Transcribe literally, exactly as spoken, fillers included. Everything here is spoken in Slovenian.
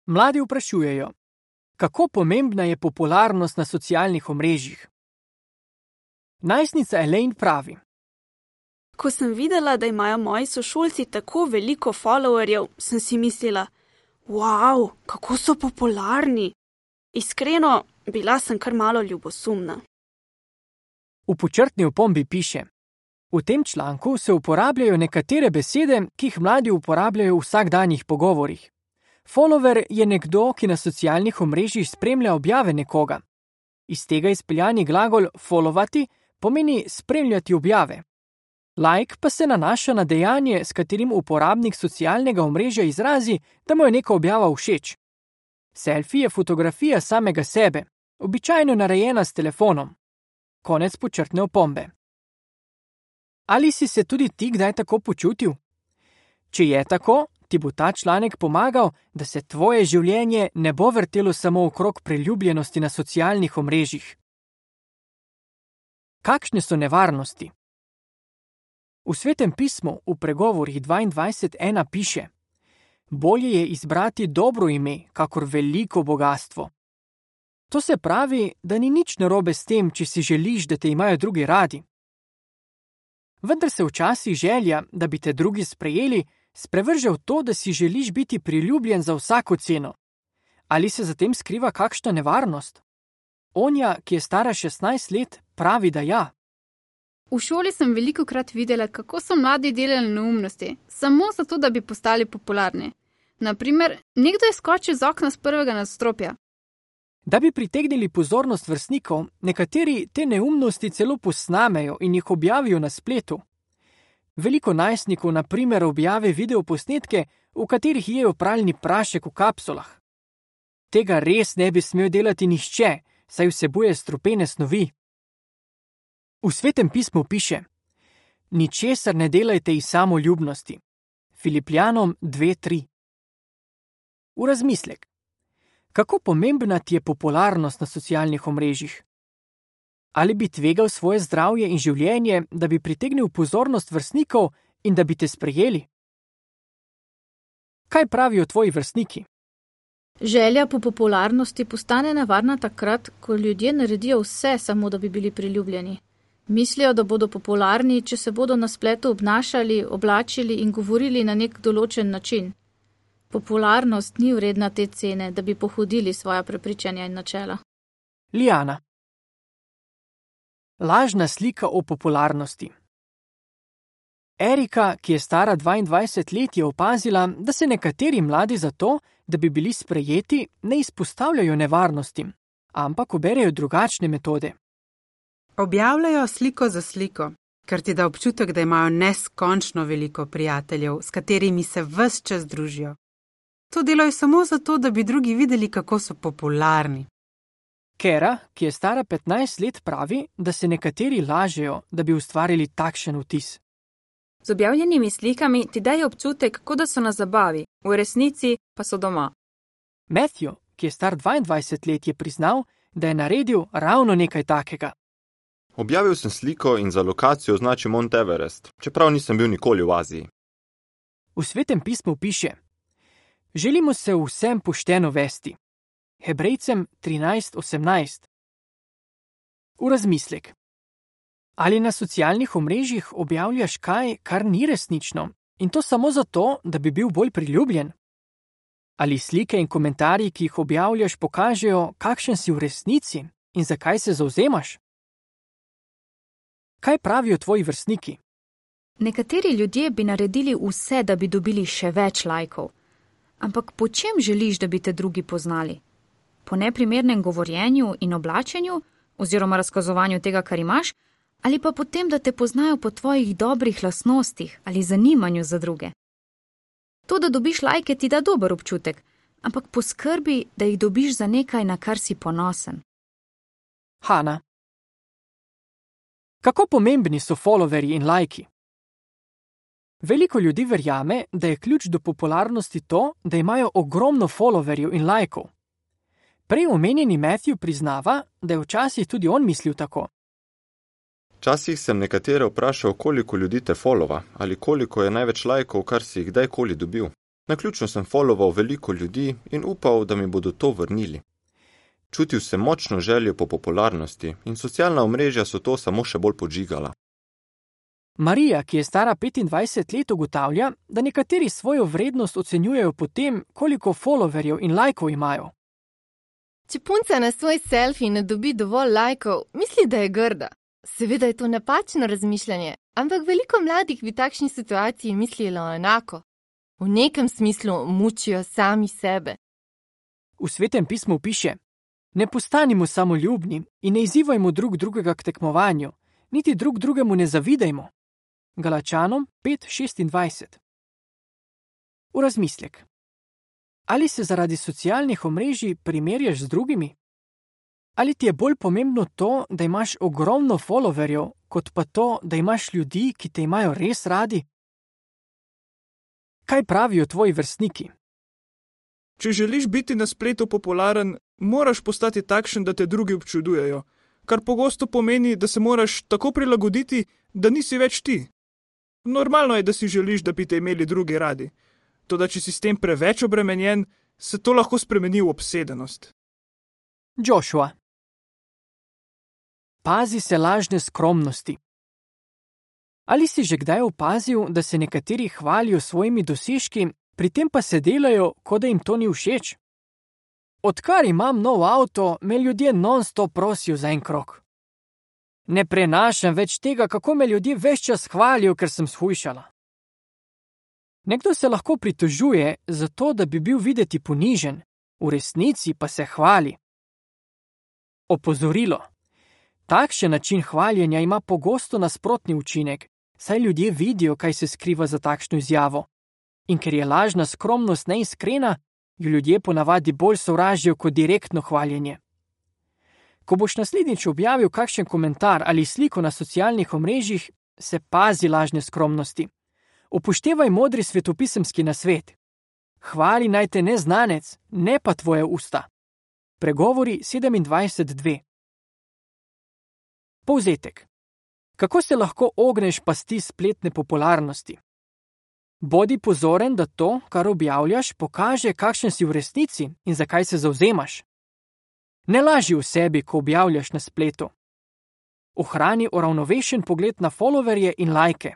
Mladi vprašujejo, kako pomembna je popularnost na socialnih omrežjih. Najstnica Elaine pravi: Ko sem videla, da imajo moji sošolci tako veliko followerjev, sem si mislila, wow, kako so popularni. Iskreno, bila sem kar malo ljubosumna. V počrtni opombi piše: v tem članku se uporabljajo nekatere besede, ki jih mladi uporabljajo v vsakdanjih pogovorih. Follower je nekdo, ki na socialnih omrežjih spremlja objave nekoga. Iz tega izpeljani glagol followati pomeni spremljati objave. Like pa se nanaša na dejanje, s katerim uporabnik socialnega omrežja izrazi, da mu je neka objava všeč. Selfie je fotografija samega sebe, običajno narejena s telefonom. Konec počrtne opombe. Ali si se tudi ti kdaj tako počutil? Če je tako, ti bo ta članek pomagal, da se tvoje življenje ne bo vrtelo samo okrog priljubljenosti na socialnih omrežjih. Kakšne so nevarnosti? V Svetem pismu v pregovorih dvaindvajset ena piše: bolje je izbrati dobro ime, kakor veliko bogastvo. To se pravi, da ni nič narobe s tem, če si želiš, da te imajo drugi radi. Vendar se včasih želja, da bi te drugi sprejeli, sprevrže v to, da si želiš biti priljubljen za vsako ceno. Ali se za tem skriva kakšna nevarnost? Onja, ki je stara šestnajst let, pravi, da ja. V šoli sem velikokrat videla, kako so mladi delali neumnosti, samo zato, da bi postali popularni. Naprimer, nekdo je skočil z okna z prvega nadstropja. Da bi pritegnili pozornost vrstnikov, nekateri te neumnosti celo posnamejo in jih objavijo na spletu. Veliko najstnikov na primer objavi videoposnetke, v katerih jejo pralni prašek v kapsulah. Tega res ne bi smel delati nihče, saj vsebuje strupene snovi. V Svetem pismu piše: ničesar ne delajte iz samoljubnosti. Filipljanom dve tri. V razmislek. Kako pomembna ti je popularnost na socialnih omrežjih? Ali bi tvegal svoje zdravje in življenje, da bi pritegnil pozornost vrstnikov in da bi te sprejeli? Kaj pravijo tvoji vrstniki? Želja po popularnosti postane nevarna takrat, ko ljudje naredijo vse, samo da bi bili priljubljeni. Mislijo, da bodo popularni, če se bodo na spletu obnašali, oblačili in govorili na nek določen način. Popularnost ni vredna te cene, da bi pohodili svoja prepričanja in načela. Lijana. Lažna slika o popularnosti. Erika, ki je stara dvaindvajset let, je opazila, da se nekateri mladi zato, da bi bili sprejeti, ne izpostavljajo nevarnostim, ampak uberejo drugačne metode. Objavljajo sliko za sliko, kar ti da občutek, da imajo neskončno veliko prijateljev, s katerimi se ves čas družijo. To delajo samo zato, da bi drugi videli, kako so popularni. Kera, ki je stara petnajst let, pravi, da se nekateri lažejo, da bi ustvarili takšen vtis. Z objavljenimi slikami ti dajo občutek, kot da so na zabavi, v resnici pa so doma. Matthew, ki je star dvaindvajset let, je priznal, da je naredil ravno nekaj takega. Objavil sem sliko in za lokacijo označil Mount Everest, čeprav nisem bil nikoli v Aziji. V Svetem pismu piše: želimo se vsem pošteno vesti. Hebrejcem trinajst osemnajst. V razmislek. Ali na socialnih omrežjih objavljaš kaj, kar ni resnično, in to samo zato, da bi bil bolj priljubljen? Ali slike in komentarji, ki jih objavljaš, pokažejo, kakšen si v resnici in zakaj se zavzemaš? Kaj pravijo tvoji vrstniki? Nekateri ljudje bi naredili vse, da bi dobili še več lajkov. Ampak po čem želiš, da bi te drugi poznali? Po neprimernem govorjenju in oblačenju, oziroma razkazovanju tega, kar imaš, ali pa po tem, da te poznajo po tvojih dobrih lastnostih ali zanimanju za druge? To, da dobiš lajke, ti da dober občutek, ampak poskrbi, da jih dobiš za nekaj, na kar si ponosen. Hana. Kako pomembni so followerji in lajki? Veliko ljudi verjame, da je ključ do popularnosti to, da imajo ogromno followerjev in lajkov. Prej omenjeni Matthew priznava, da je včasih tudi on mislil tako. Včasih sem nekatere vprašal, koliko ljudi te followa ali koliko je največ lajkov, kar si jih kdajkoli dobil. Naključno sem follował veliko ljudi in upal, da mi bodo to vrnili. Čutil sem močno željo po popularnosti in socialna omrežja so to samo še bolj podžigala. Marija, ki je stara petindvajset let, ugotavlja, da nekateri svojo vrednost ocenjujejo po tem, koliko followerjev in lajkov imajo. Če punca na svoj selfie ne dobi dovolj lajkov, misli, da je grda. Seveda je to napačno razmišljanje, ampak veliko mladih v takšni situaciji mislilo enako. V nekem smislu mučijo sami sebe. V Svetem pismu piše: ne postanimo samoljubni in ne izzivajmo drug drugega k tekmovanju, niti drug drugemu ne zavidajmo. Galačanom pet šestindvajset. V razmislek. Ali se zaradi socialnih omrežij primerjaš z drugimi? Ali ti je bolj pomembno to, da imaš ogromno followerjev, kot pa to, da imaš ljudi, ki te imajo res radi? Kaj pravijo tvoji vrstniki? Če želiš biti na spletu popularen, moraš postati takšen, da te drugi občudujejo, kar pogosto pomeni, da se moraš tako prilagoditi, da nisi več ti. Normalno je, da si želiš, da bi te imeli drugi radi. Toda če si s tem preveč obremenjen, se to lahko spremeni v obsedenost. Joshua. Pazi se lažne skromnosti. Ali si že kdaj opazil, da se nekateri hvalijo svojimi dosežki, pri tem pa se delajo, kot da jim to ni všeč? Odkar imam nov avto, me ljudje non-stop prosijo za en krog. Ne prenašam več tega, kako me ljudje ves čas hvalijo, ker sem shujšala. Nekdo se lahko pritožuje zato, da bi bil videti ponižen, v resnici pa se hvali. Opozorilo. Takšen način hvaljenja ima pogosto nasprotni učinek, saj ljudje vidijo, kaj se skriva za takšno izjavo. In ker je lažna skromnost neiskrena, jo ljudje ponavadi bolj sovražijo kot direktno hvaljenje. Ko boš naslednjič objavil kakšen komentar ali sliko na socialnih omrežjih, se pazi lažne skromnosti. Upoštevaj modri svetopisemski nasvet. Hvali naj te neznanec, ne pa tvoje usta. Pregovori sedemindvajset dve. Povzetek. Kako se lahko ogneš pasti spletne popularnosti? Bodi pozoren, da to, kar objavljaš, pokaže, kakšen si v resnici in zakaj se zavzemaš. Ne laži v sebi, ko objavljaš na spletu. Ohrani uravnovešen pogled na followerje in lajke.